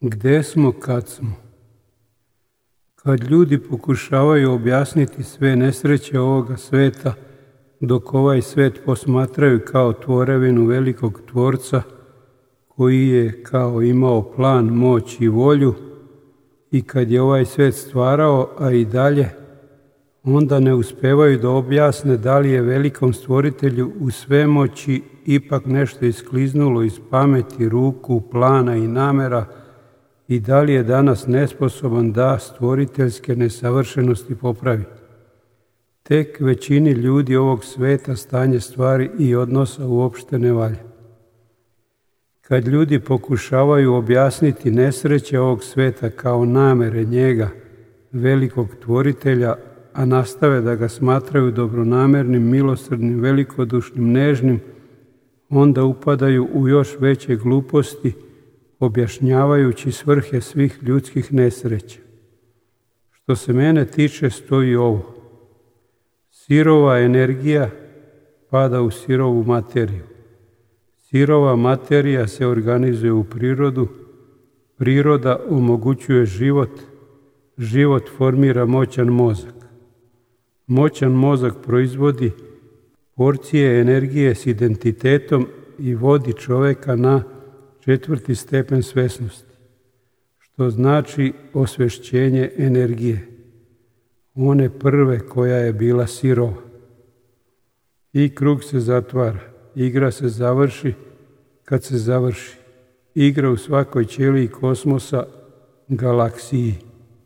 Gde smo kad smo? Kad ljudi pokušavaju objasniti sve nesreće ovoga sveta, dok ovaj svet posmatraju kao tvorevinu velikog tvorca, koji je kao imao plan, moć i volju, i kad je ovaj svet stvarao, a i dalje, onda ne uspevaju da objasne da li je velikom stvoritelju u svemoći ipak nešto iskliznulo iz pameti, ruku, plana i namera, i da li je danas nesposoban da stvoriteljske nesavršenosti popravi. Tek većini ljudi ovog sveta stanje stvari i odnosa uopšte ne valja. Kad ljudi pokušavaju objasniti nesreće ovog sveta kao namere njega, velikog tvoritelja, a nastave da ga smatraju dobronamernim, milosrdnim, velikodušnim, nežnim, onda upadaju u još veće gluposti, objašnjavajući svrhe svih ljudskih nesreća. Što se mene tiče, stoji ovo: sirova energija pada u sirovu materiju. Sirova materija se organizuje u prirodu, priroda omogućuje život, život formira moćan mozak. Moćan mozak proizvodi porcije energije s identitetom i vodi čoveka na 4. stepen svesnosti, što znači osvešćenje energije, one prve koja je bila sirova. I krug se zatvara, igra se završi kad se završi, igra u svakoj ćeliji kosmosa, galaksiji.